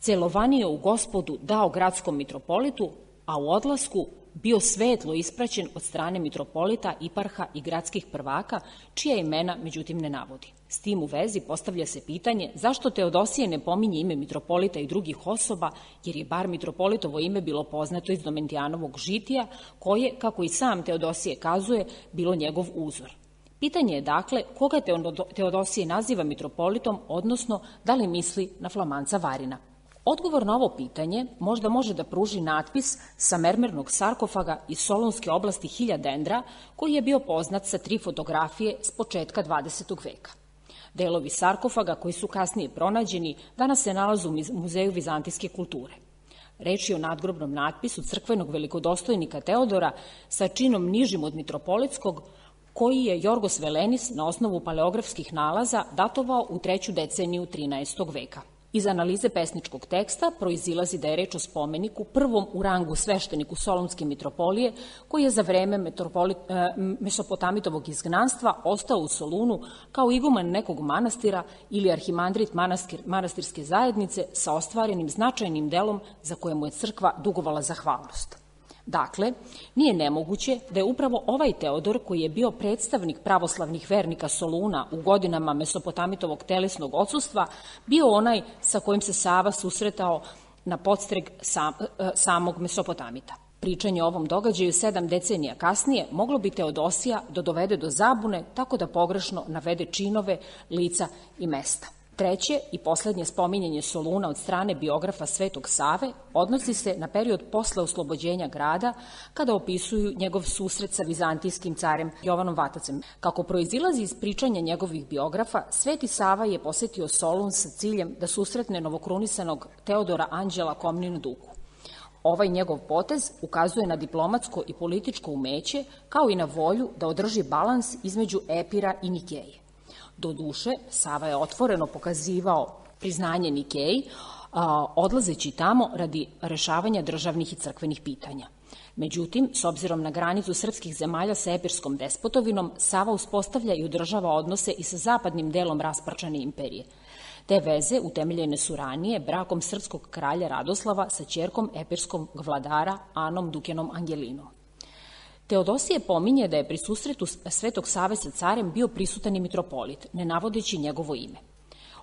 celovanio u Gospodu dao gradskom mitropolitu, a u odlasku bio svetlo ispraćen od strane mitropolita, iparha i gradskih prvaka, čija imena međutim ne navodi. S tim u vezi postavlja se pitanje zašto Teodosije ne pominje ime mitropolita i drugih osoba, jer je bar mitropolitovo ime bilo poznato iz Domitijanovog žitija, koje, kako i sam Teodosije kazuje, bilo njegov uzor. Pitanje je dakle koga Teodosije naziva mitropolitom, odnosno da li misli na Flamanca Varina. Odgovor na ovo pitanje možda može da pruži natpis sa mermernog sarkofaga iz Solunske oblasti Hiljadendra, koji je bio poznat sa tri fotografije s početka dvadesetog veka. Delovi sarkofaga koji su kasnije pronađeni danas se nalaze u Muzeju vizantijske kulture. Reč je o nadgrobnom natpisu crkvenog velikodostojnika Teodora sa činom nižim od mitropolitskog, koji je Jorgos Velenis na osnovu paleografskih nalaza datovao u treću deceniju trinaestog veka. Iz analize pesničkog teksta proizilazi da je reč o spomeniku prvom u rangu svešteniku Solunske mitropolije, koji je za vreme Mesopotamitovog izgnanstva ostao u Solunu kao iguman nekog manastira ili arhimandrit manastirske zajednice sa ostvarenim značajnim delom za koje mu je crkva dugovala zahvalnost. Dakle, nije nemoguće da je upravo ovaj Teodor, koji je bio predstavnik pravoslavnih vernika Soluna u godinama Mesopotamitovog telesnog odsustva, bio onaj sa kojim se Sava susretao na podstrek sam, samog Mesopotamita. Pričanje o ovom događaju sedam decenija kasnije moglo bi Teodosija da dovede do zabune tako da pogrešno navede činove, lica i mesta. Treće i poslednje spominjanje Soluna od strane biografa Svetog Save odnosi se na period posle oslobođenja grada, kada opisuju njegov susret sa vizantijskim carem Jovanom Vatacem. Kako proizilazi iz pričanja njegovih biografa, Sveti Sava je posetio Solun sa ciljem da susretne novokrunisanog Teodora Anđela Komninu Duku. Ovaj njegov potez ukazuje na diplomatsko i političko umeće, kao i na volju da održi balans između Epira i Nikeje. Doduše, Sava je otvoreno pokazivao priznanje Nikeji, odlazeći tamo radi rešavanja državnih i crkvenih pitanja. Međutim, s obzirom na granicu srpskih zemalja sa epirskom despotovinom, Sava uspostavlja i održava odnose i sa zapadnim delom rasparčane imperije. Te veze utemeljene su ranije brakom srpskog kralja Radoslava sa ćerkom epirskog vladara Anom Dukenom Angelinom. Teodosije pominje da je pri susretu Svetog Save sa carem bio prisutan i mitropolit, ne navodeći njegovo ime.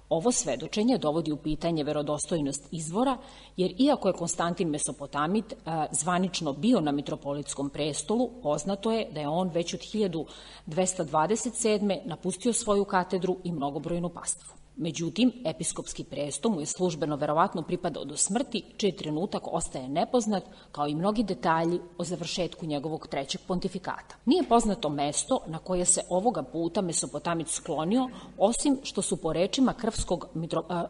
Ovo svedočenje dovodi u pitanje verodostojnost izvora, jer iako je Konstantin Mesopotamit zvanično bio na mitropolitskom prestolu, poznato je da je on već od hiljadu dvesta dvadeset sedme napustio svoju katedru i mnogobrojnu pastvu. Međutim, episkopski presto mu je službeno verovatno pripadao do smrti, čiji trenutak ostaje nepoznat, kao i mnogi detalji o završetku njegovog trećeg pontifikata. Nije poznato mesto na koje se ovoga puta Mesopotamit sklonio, osim što su po rečima krvskog,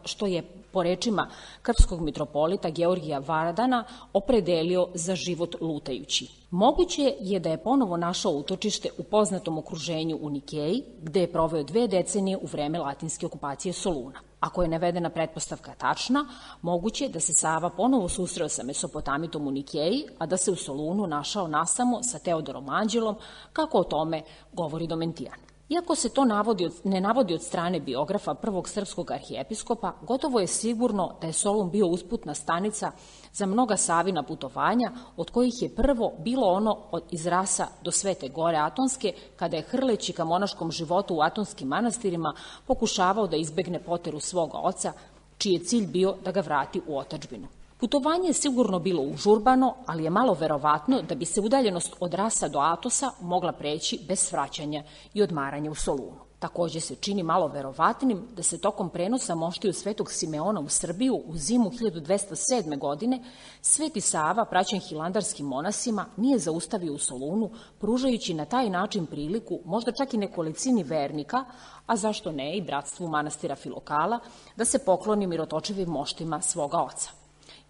što je po rečima krvskog mitropolita Georgija Varadana opredelio za život lutajući. Moguće je da je ponovo našao utočište u poznatom okruženju u Nikeji, gde je proveo dve decenije u vreme latinske okupacije Soluna. Ako je navedena pretpostavka tačna, moguće je da se Sava ponovo susreo sa Mesopotamitom u Nikeji, a da se u Solunu našao nasamo sa Teodorom Anđelom, kako o tome govori Domitijan. Iako se to navodi, ne navodi od strane biografa prvog srpskog arhijepiskopa, gotovo je sigurno da je Solun bio usputna stanica za mnoga Savina putovanja, od kojih je prvo bilo ono od iz Rasa do Svete Gore Atonske, kada je hrleći ka monaškom životu u atonskim manastirima pokušavao da izbegne poteru svoga oca, čiji je cilj bio da ga vrati u otadžbinu. Putovanje je sigurno bilo užurbano, ali je malo verovatno da bi se udaljenost od Rasa do Atosa mogla preći bez svraćanja i odmaranja u Solunu. Takođe se čini malo verovatnim da se tokom prenosa moštiju Svetog Simeona u Srbiju u zimu hiljadu dvesta sedme. godine Sveti Sava, praćen hilandarskim monasima, nije zaustavio u Solunu, pružajući na taj način priliku možda čak i nekolicini vernika, a zašto ne i bratstvu manastira Filokala, da se pokloni mirotočivim moštima svoga oca.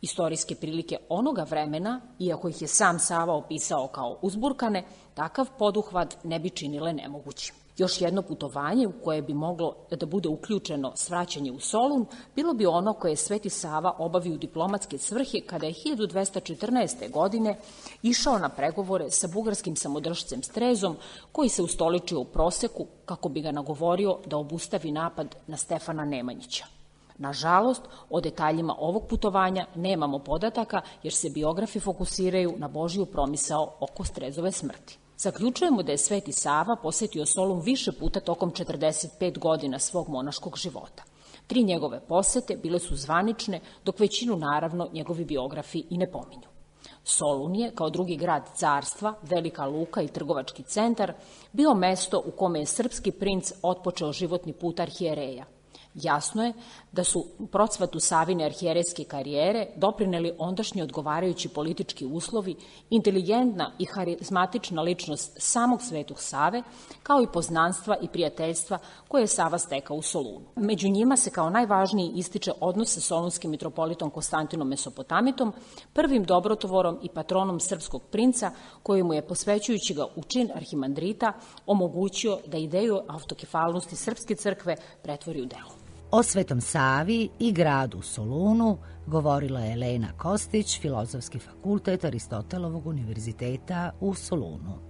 Istorijske prilike onoga vremena, iako ih je sam Sava opisao kao uzburkane, takav poduhvat ne bi činile nemogućim. Još jedno putovanje u koje bi moglo da bude uključeno svraćanje u Solun bilo bi ono koje je Sveti Sava obavio u diplomatske svrhe kada je hiljadu dvesta četrnaeste. godine išao na pregovore sa bugarskim samodržcem Strezom, koji se ustoličio u Proseku kako bi ga nagovorio da obustavi napad na Stefana Nemanjića. Nažalost, o detaljima ovog putovanja nemamo podataka jer se biografi fokusiraju na Božiju promisao oko Strezove smrti. Zaključujemo da je Sveti Sava posetio Solun više puta tokom četrdeset pet godina svog monaškog života. Tri njegove posete bile su zvanične, dok većinu naravno njegovi biografi i ne pominju. Solun je, kao drugi grad carstva, velika luka i trgovački centar, bio mesto u kome je srpski princ otpočeo životni put arhijereja. Jasno je da su u procvatu Savine arhijerejske karijere doprineli ondašnji odgovarajući politički uslovi, inteligentna i harizmatična ličnost samog Svetog Save, kao i poznanstva i prijateljstva koje je Sava stekao u Solunu. Među njima se kao najvažniji ističe odnos sa solunskim mitropolitom Konstantinom Mesopotamitom, prvim dobrotvorom i patronom srpskog princa, koji mu je, posvećujući ga u čin arhimandrita, omogućio da ideju autokefalnosti srpske crkve pretvori u delo. O Svetom Savi i gradu Solunu govorila je Elena Kostić, Filozofski fakultet Aristotelovog univerziteta u Solunu.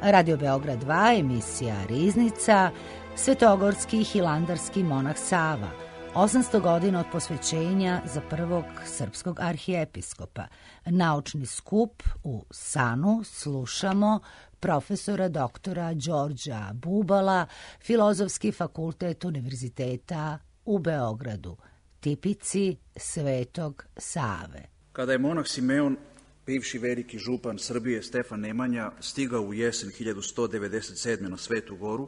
Radio Beograd dva, emisija Riznica, svetogorski hilandarski monah Sava, osamsto godina od posvećenja za prvog srpskog arhijepiskopa. Naučni skup u Sanu slušamo profesora doktora Đorđa Bubala, Filozofski fakultet Univerziteta u Beogradu, tipici Svetog Save. Kada je monah Simeon, bivši veliki župan Srbije Stefan Nemanja, stigao u jesen hiljadu sto devedeset sedme. na Svetu Goru,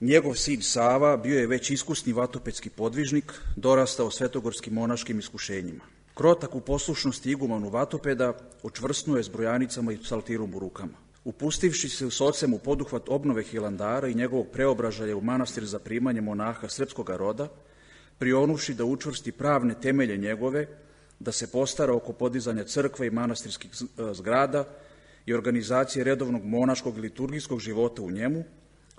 njegov sin Sava bio je već iskusni vatopedski podvižnik, dorastao svetogorskim monaškim iskušenjima. Krotak u poslušnosti igumanu vatopeda, očvrsnuo je s brojanicama i psaltirom u rukama. Upustivši se s ocem u poduhvat obnove Hilandara i njegovog preobražaja u manastir za primanje monaha srpskoga roda, prionuvši da učvrsti pravne temelje njegove, da se postara oko podizanja crkve i manastirskih zgrada i organizacije redovnog monaškog i liturgijskog života u njemu,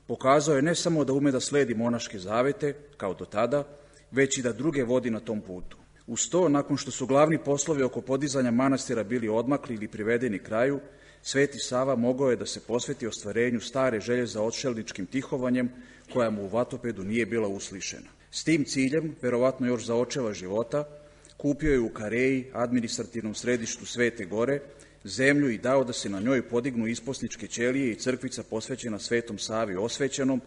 pokazao je ne samo da ume da sledi monaške zavete, kao do tada, već i da druge vodi na tom putu. Uz to, nakon što su glavni poslovi oko podizanja manastira bili odmakli ili privedeni kraju, Sveti Sava mogao je da se posveti ostvarenju stare želje za odšelničkim tihovanjem, koja mu u vatopedu nije bila uslišena. S tim ciljem, verovatno još za očeva života, kupio je u Kareji, administrativnom središtu Svete Gore, zemlju i dao da se na njoj podignu isposničke ćelije i crkvica posvećena Svetom Savi osvećenom,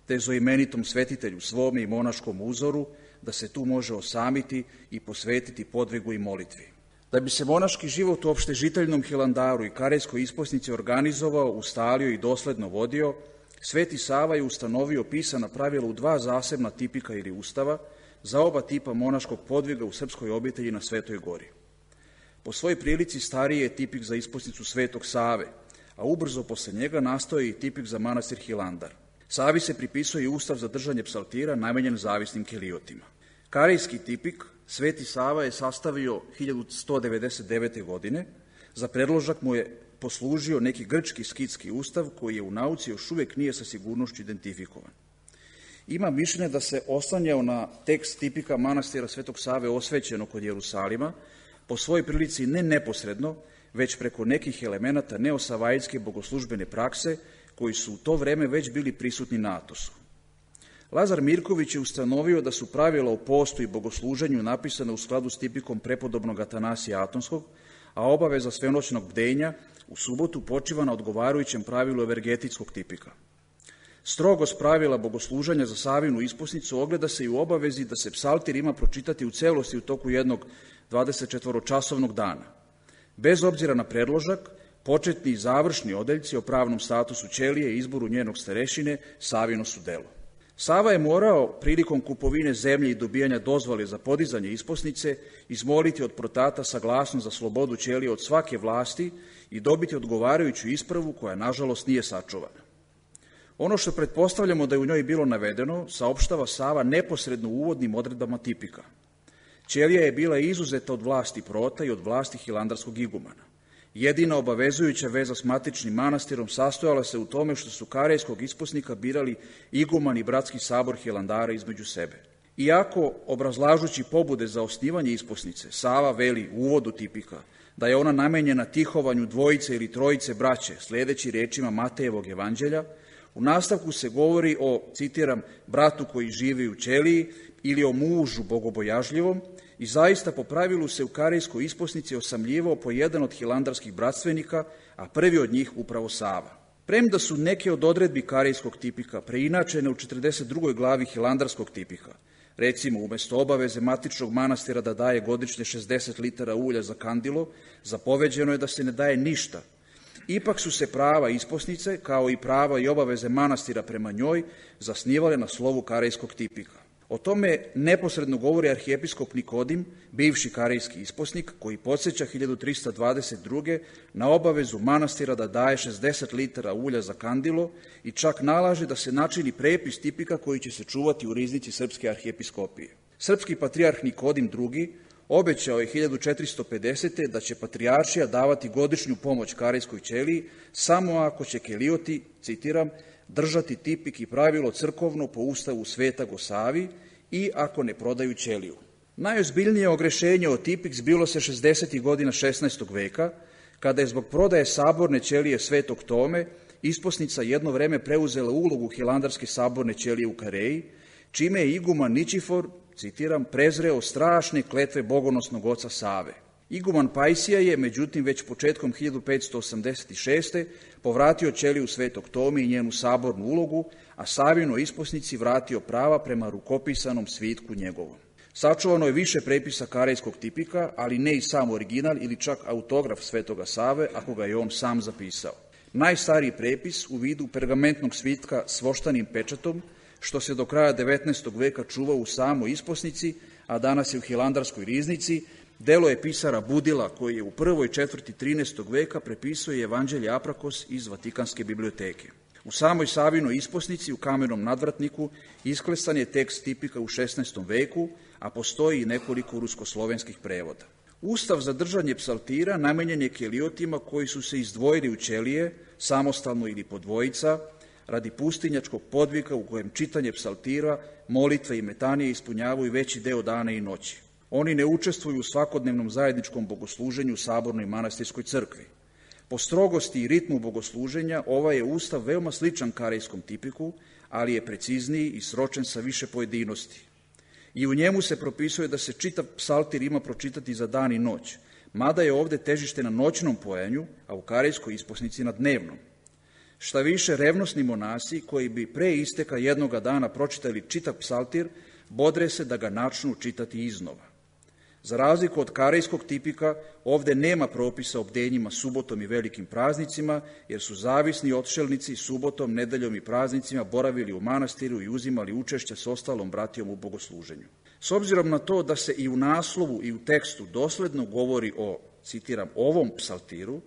te zoimenitom svetitelju svome i monaškom uzoru, da se tu može osamiti i posvetiti podvigu i molitvi. Da bi se monaški život u opštežiteljnom Hilandaru i Karejskoj isposnici organizovao, ustalio i dosledno vodio, Sveti Sava je ustanovio pisana pravila u dva zasebna tipika ili ustava, za oba tipa monaškog podviga u srpskoj obitelji na Svetoj gori. Po svojoj prilici stariji je tipik za isposnicu Svetog Save, a ubrzo posle njega nastao je i tipik za manastir Hilandar. Savi se pripisuje i ustav za držanje psaltira namenjen zavisnim keliotima. Karejski tipik Sveti Sava je sastavio hiljadu sto devedeset devete. godine. Za predložak mu je poslužio neki grčki skitski ustav koji je u nauci još uvek nije sa sigurnošću identifikovan. Ima mišljenje da se oslanjao na tekst tipika manastira Svetog Save osvećeno kod Jerusalima, po svojoj prilici ne neposredno, već preko nekih elemenata neosavajske bogoslužbene prakse koji su u to vreme već bili prisutni na Atosu. Lazar Mirković je ustanovio da su pravila o postu i bogosluženju napisane u skladu s tipikom prepodobnog Atanasija Atonskog, a obaveza svenoćnog bdenja u subotu počiva na odgovarajućem pravilu evergetitskog tipika. Strogost pravila bogosluženja za Savinu isposnicu ogleda se i u obavezi da se psaltir ima pročitati u celosti u toku jednog dvadesetčetvoročasovnog dana. Bez obzira na predložak, početni i završni odeljci o pravnom statusu ćelije i izboru njenog starešine Savino su delo. Sava je morao prilikom kupovine zemlje i dobijanja dozvole za podizanje isposnice izmoliti od protata saglasnost za slobodu ćelije od svake vlasti i dobiti odgovarajuću ispravu koja, nažalost, nije sačuvana. Ono što pretpostavljamo da je u njoj bilo navedeno, saopštava Sava neposredno u uvodnim odredbama tipika. Ćelija je bila izuzeta od vlasti prota i od vlasti hilandarskog igumana. Jedina obavezujuća veza s matičnim manastirom sastojala se u tome što su karejskog isposnika birali iguman i bratski sabor hilandara između sebe. Iako, obrazlažući pobude za osnivanje isposnice, Sava veli u uvodu tipika da je ona namenjena tihovanju dvojice ili trojice braće, sledeći rečima Matejevog evanđelja, u nastavku se govori o, citiram, bratu koji živi u ćeliji ili o mužu bogobojažljivom, i zaista po pravilu se u karejskoj isposnici osamljivao po jedan od hilandarskih bratstvenika, a prvi od njih upravo Sava. Premda su neke od odredbi karejskog tipika preinačene u četrdeset drugoj glavi hilandarskog tipika, recimo umesto obaveze matičnog manastira da daje godišnje šezdeset litara ulja za kandilo, zapoveđeno je da se ne daje ništa. Ipak su se prava isposnice, kao i prava i obaveze manastira prema njoj, zasnivale na slovu karejskog tipika. O tome neposredno govori arhijepiskop Nikodim, bivši karejski isposnik, koji podsjeća hiljadu trista dvadeset druge. na obavezu manastira da daje šezdeset litara ulja za kandilo i čak nalaže da se načini prepis tipika koji će se čuvati u riznici Srpske arhijepiskopije. Srpski patrijarh Nikodim drugi. obećao je hiljadu četiristo pedesete. da će patrijaršija davati godišnju pomoć karejskoj ćeliji samo ako će kelioti, citiram, držati tipik i pravilo crkovno po ustavu Svetog Savi i ako ne prodaju ćeliju. Najozbiljnije ogrešenje o tipik zbilo se šezdesetih godina šesnaestog veka, kada je zbog prodaje saborne ćelije Svetog Tome isposnica jedno vreme preuzela ulogu hilandarske saborne ćelije u Kareji, čime je iguman Ničifor, citiram, prezreo strašne kletve bogonosnog oca Save. Iguman Pajsija je, međutim, već početkom hiljadu petsto osamdeset šeste. povratio ćeliju Svetog Tome i njenu sabornu ulogu, a Savino isposnici vratio prava prema rukopisanom svitku njegovom. Sačuvano je više prepisa karejskog tipika, ali ne i sam original ili čak autograf Svetoga Save, ako ga je on sam zapisao. Najstariji prepis u vidu pergamentnog svitka s voštanim pečatom, što se do kraja devetnaestog veka čuvao u samoj isposnici, a danas je u hilandarskoj riznici, delo je pisara Budila, koji je u prvoj četvrti trinaestog veka prepisuje Evanđelje Aprakos iz Vatikanske biblioteke. U samoj Savinoj isposnici u kamenom nadvratniku isklesan je tekst tipika u šesnaestom veku, a postoji i nekoliko ruskoslovenskih prevoda. Ustav za držanje psaltira namenjen je keliotima koji su se izdvojili u ćelije, samostalno ili po dvojica, radi pustinjačkog podvika u kojem čitanje psaltira, molitve i metanije ispunjavaju veći deo dana i noći. Oni ne učestvuju u svakodnevnom zajedničkom bogosluženju u sabornoj manastirskoj crkvi. Po strogosti i ritmu bogosluženja ovaj je ustav veoma sličan karejskom tipiku, ali je precizniji i sročen sa više pojedinosti. I u njemu se propisuje da se čitav psaltir ima pročitati za dan i noć, mada je ovde težište na noćnom pojanju, a u karejskoj isposnici na dnevnom. Šta više, revnosni monasi koji bi pre isteka jednoga dana pročitali čitav psaltir, bodre se da ga načnu čitati iznova. Za razliku od karejskog tipika, ovde nema propisa o bdenjima subotom i velikim praznicima, jer su zavisni otšelnici subotom, nedeljom i praznicima boravili u manastiru i uzimali učešće s ostalom bratijom u bogosluženju. S obzirom na to da se i u naslovu i u tekstu dosledno govori o, citiram, ovom psaltiru,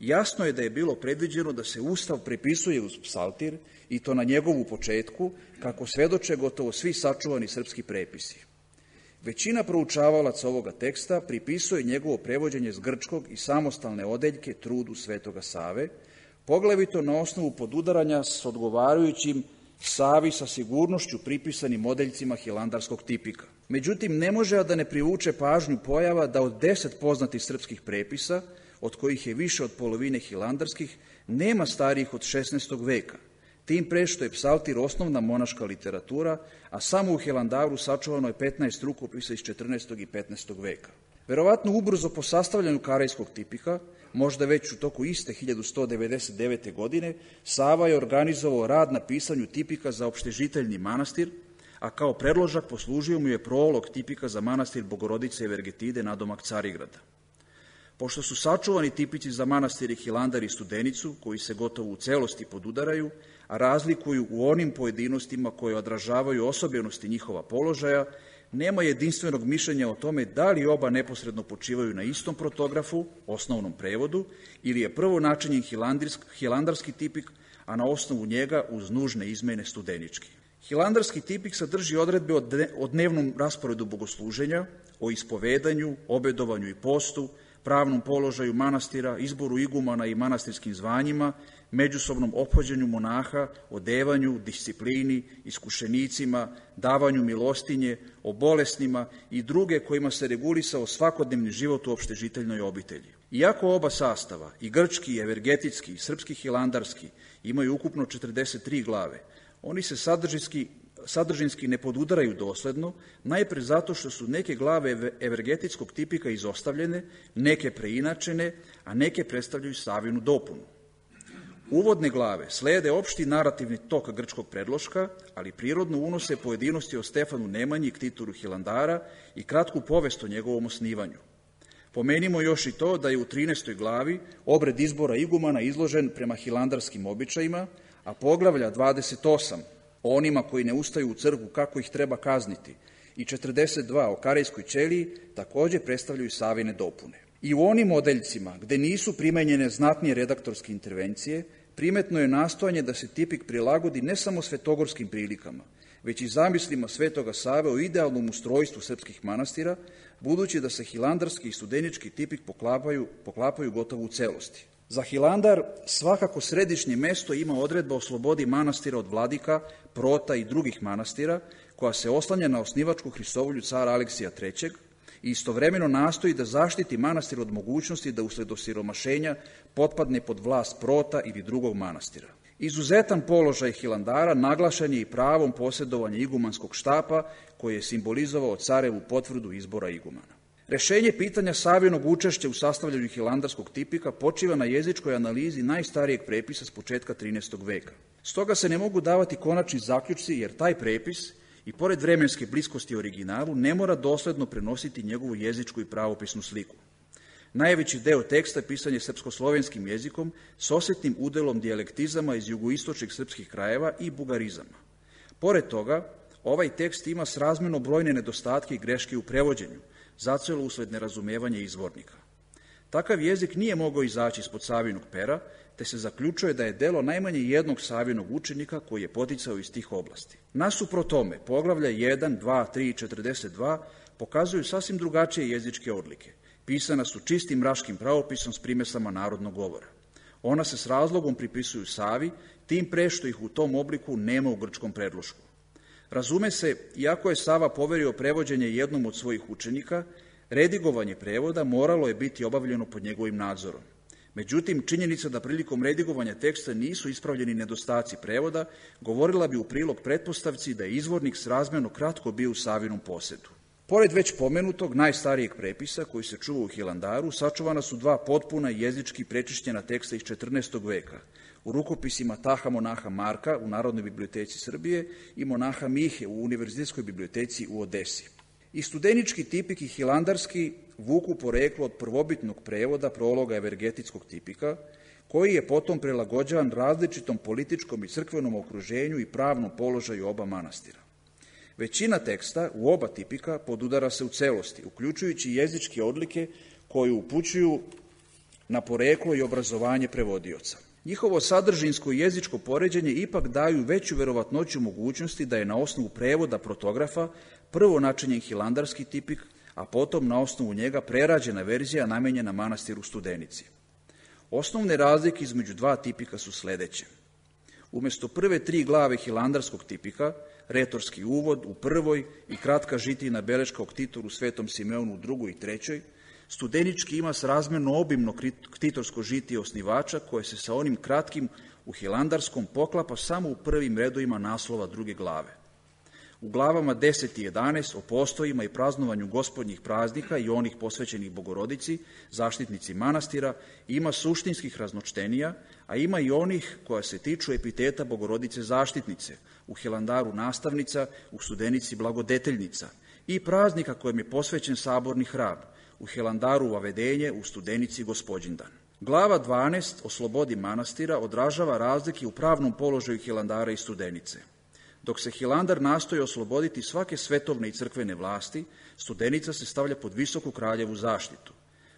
jasno je da je bilo predviđeno da se Ustav prepisuje uz psaltir i to na njegovu početku, kako svedoče gotovo svi sačuvani srpski prepisi. Većina proučavalaca ovoga teksta pripisuje njegovo prevođenje s grčkog i samostalne odeljke trudu Svetoga Save, poglavito na osnovu podudaranja s odgovarajućim Savi sa sigurnošću pripisanim odeljcima hilandarskog tipika. Međutim, ne može a da ne privuče pažnju pojava da od deset poznatih srpskih prepisa, od kojih je više od polovine hilandarskih, nema starijih od šesnaestog veka, tim pre što je psaltir osnovna monaška literatura, a samo u Hilandaru sačuvano je petnaest rukopisa iz četrnaestog i petnaestog veka. Verovatno ubrzo po sastavljanju Karejskog tipika, možda već u toku iste hiljadu sto devedeset devete. godine, Sava je organizovao rad na pisanju tipika za opštežiteljni manastir, a kao predložak poslužio mu je prolog tipika za manastir Bogorodice Evergetide nadomak Carigrada. Pošto su sačuvani tipici za manastiri Hilandar i Studenicu, koji se gotovo u celosti podudaraju, a razlikuju u onim pojedinostima koje odražavaju osobenosti njihova položaja, nema jedinstvenog mišljenja o tome da li oba neposredno počivaju na istom protografu, osnovnom prevodu, ili je prvo načinjen hilandarski tipik, a na osnovu njega uz nužne izmene studenički. Hilandarski tipik sadrži odredbe o dnevnom rasporedu bogosluženja, o ispovedanju, obedovanju i postu, pravnom položaju manastira, izboru igumana i manastirskim zvanjima, međusobnom ophođenju monaha, odevanju, disciplini, iskušenicima, davanju milostinje, o bolesnima i druge kojima se regulisao svakodnevni život u opštežiteljnoj obitelji. Iako oba sastava, i grčki, i evergetitski, i srpski hilandarski, imaju ukupno četrdeset tri glave, oni se sadržinski sadržinski ne podudaraju dosledno, najpre zato što su neke glave evergetitskog tipika izostavljene, neke preinačene, a neke predstavljaju Savinu dopunu. Uvodne glave slede opšti narativni tok grčkog predloška, ali prirodno unose pojedinosti o Stefanu Nemanji i Ktitoru Hilandara i kratku povest o njegovom osnivanju. Pomenimo još i to da je u trinaestoj glavi obred izbora igumana izložen prema hilandarskim običajima, a poglavlja dvadeset osam o onima koji ne ustaju u crkvu kako ih treba kazniti i četrdeset dva o Karejskoj ćeliji takođe predstavljaju Savine dopune. I u onim odeljcima gde nisu primenjene znatnije redaktorske intervencije, primetno je nastojanje da se tipik prilagodi ne samo svetogorskim prilikama, već i zamislima Svetoga Save o idealnom ustrojstvu srpskih manastira, budući da se hilandarski i studenički tipik poklapaju, poklapaju gotovo u celosti. Za Hilandar svakako središnje mesto ima odredba o slobodi manastira od vladika, prota i drugih manastira, koja se oslanja na osnivačku Hristovolju cara Aleksija trećeg i istovremeno nastoji da zaštiti manastir od mogućnosti da usled osiromašenja potpadne pod vlast prota ili drugog manastira. Izuzetan položaj Hilandara naglašen je i pravom posjedovanja igumanskog štapa, koji je simbolizovao carevu potvrdu izbora igumana. Rešenje pitanja Savinog učešća u sastavljanju hilandarskog tipika počiva na jezičkoj analizi najstarijeg prepisa s početka trinaestog veka. Stoga se ne mogu davati konačni zaključci, jer taj prepis, i pored vremenske bliskosti originalu, ne mora dosledno prenositi njegovu jezičku i pravopisnu sliku. Najveći deo teksta pisan je srpsko-slovenskim jezikom s osetnim udelom dijalektizama iz jugoistočnih srpskih krajeva i bugarizama. Pored toga, ovaj tekst ima srazmerno brojne nedostatke i greške u prevođenju, zacelo usled nerazumevanja izvornika. Takav jezik nije mogao izaći ispod Savinog pera, te se zaključuje da je delo najmanje jednog Savinog učenika koji je poticao iz tih oblasti. Nasuprot tome, poglavlja jedan, dva, tri i četrdeset dva pokazuju sasvim drugačije jezičke odlike. Pisana su čistim raškim pravopisom s primesama narodnog govora. Ona se s razlogom pripisuju Savi, tim pre što ih u tom obliku nema u grčkom predlošku. Razume se, iako je Sava poverio prevođenje jednom od svojih učenika, redigovanje prevoda moralo je biti obavljeno pod njegovim nadzorom. Međutim, činjenica da prilikom redigovanja teksta nisu ispravljeni nedostaci prevoda govorila bi u prilog pretpostavci da je izvornik srazmerno kratko bio u Savinom posedu. Pored već pomenutog najstarijeg prepisa koji se čuva u Hilandaru, sačuvana su dva potpuna jezički prečišćena teksta iz četrnaestog veka, u rukopisima Taha monaha Marka u Narodnoj biblioteci Srbije i monaha Mihe u Univerzitetskoj biblioteci u Odesi. I studenički tipik i hilandarski vuku poreklo od prvobitnog prevoda prologa evergetitskog tipika, koji je potom prilagođavan različitom političkom i crkvenom okruženju i pravnom položaju oba manastira. Većina teksta u oba tipika podudara se u celosti, uključujući jezičke odlike koje upućuju na poreklo i obrazovanje prevodioca. Njihovo sadržinsko i jezičko poređenje ipak daju veću verovatnoću mogućnosti da je na osnovu prevoda protografa prvo načinjen hilandarski tipik, a potom na osnovu njega prerađena verzija namenjena manastiru Studenici. Osnovne razlike između dva tipika su sledeće. Umesto prve tri glave hilandarskog tipika, retorski uvod u prvoj i kratka žitijna beleška o ktitoru Svetom Simeonu u drugoj i trećoj, Studenički ima srazmerno obimno ktitorsko žitije osnivača koje se sa onim kratkim u hilandarskom poklapa samo u prvim redovima naslova druge glave. U glavama deset i jedanaest o postojima i praznovanju gospodnjih praznika i onih posvećenih Bogorodici, zaštitnici manastira, ima suštinskih raznočtenija, a ima i onih koja se tiču epiteta Bogorodice zaštitnice, u Hilandaru nastavnica, u Studenici blagodeteljnica, i praznika kojem je posvećen saborni hram, u Hilandaru Vavedenje, u Studenici Gospodindan. Glava dvanaest o slobodi manastira odražava razlike u pravnom položaju Hilandara i Studenice. Dok se Hilandar nastoji osloboditi svake svetovne i crkvene vlasti, Studenica se stavlja pod visoku kraljevu zaštitu.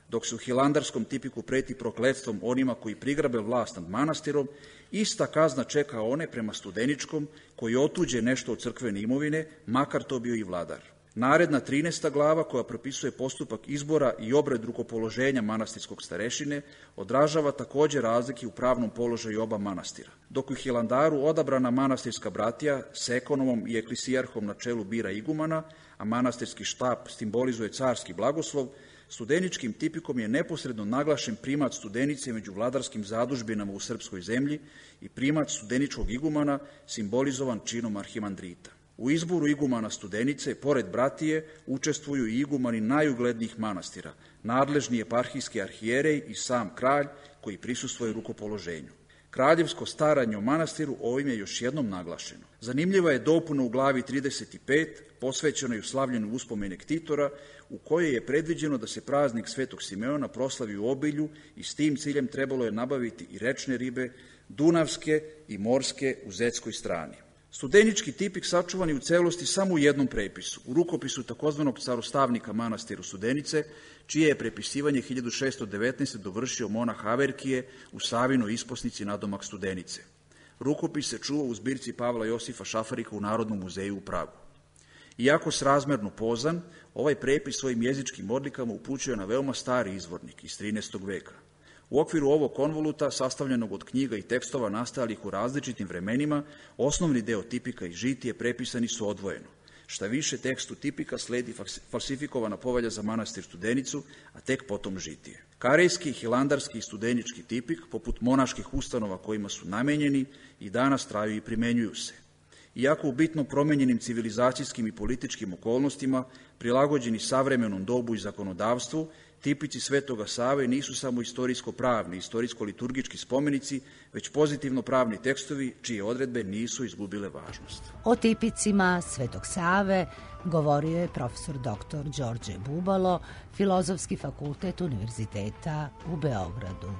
Dok se u hilandarskom tipiku preti prokletstvom onima koji prigrabe vlast nad manastirom, ista kazna čeka one prema Studeničkom koji otuđe nešto od crkvene imovine, makar to bio i vladar. Naredna trinaesta glava, koja propisuje postupak izbora i obred rukopoloženja manastirskog starešine, odražava takođe razlike u pravnom položaju oba manastira. Dok u Hilandaru odabrana manastirska bratija s ekonomom i eklisijarhom na čelu bira igumana, a manastirski štab simbolizuje carski blagoslov, Studeničkim tipikom je neposredno naglašen primat Studenice među vladarskim zadužbinama u srpskoj zemlji i primat Studeničkog igumana simbolizovan činom arhimandrita. U izboru igumana Studenice, pored bratije, učestvuju i igumani najuglednijih manastira, nadležni eparhijski arhijerej i sam kralj koji prisustvuje rukopoloženju. Kraljevsko staranje o manastiru ovim je još jednom naglašeno. Zanimljiva je dopuna u glavi trideset pet, posvećenoj slavljenju uspomene ktitora, u kojoj je predviđeno da se praznik Svetog Simeona proslavi u obilju i s tim ciljem trebalo je nabaviti i rečne ribe, dunavske i morske u zetskoj strani. Studenički tipik sačuvan je u celosti samo u jednom prepisu, u rukopisu takozvanog carostavnika manastiru Studenice, čije je prepisivanje hiljadu šeststo devetnaeste. dovršio monah Averkije u Savinoj isposnici nadomak Studenice. Rukopis se čuva u zbirci Pavla Josifa Šafarika u Narodnom muzeju u Pragu. Iako srazmerno pozan, ovaj prepis svojim jezičkim odlikama upućuje na veoma stari izvornik iz trinaestog veka. U okviru ovog konvoluta, sastavljenog od knjiga i tekstova nastalih u različitim vremenima, osnovni deo tipika i žitije prepisani su odvojeno. Šta više, tekstu tipika sledi falsifikovana povelja za manastir Studenicu, a tek potom žitije. Karejski, hilandarski i studenički tipik, poput monaških ustanova kojima su namenjeni, i danas traju i primenjuju se. Iako u bitno promenjenim civilizacijskim i političkim okolnostima, prilagođeni savremenom dobu i zakonodavstvu, tipici Svetoga Save nisu samo istorijsko-pravni, istorijsko-liturgički spomenici, već pozitivno pravni tekstovi čije odredbe nisu izgubile važnost. O tipicima Svetog Save govorio je profesor doktor Đorđe Bubalo, Filozofski fakultet Univerziteta u Beogradu.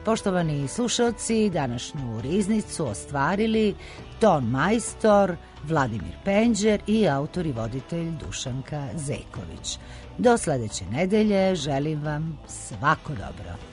Poštovani slušalci, današnju riznicu ostvarili ton majstor Vladimir Penđer i autor i voditelj Dušanka Zeković. Do sledeće nedelje želim vam svako dobro.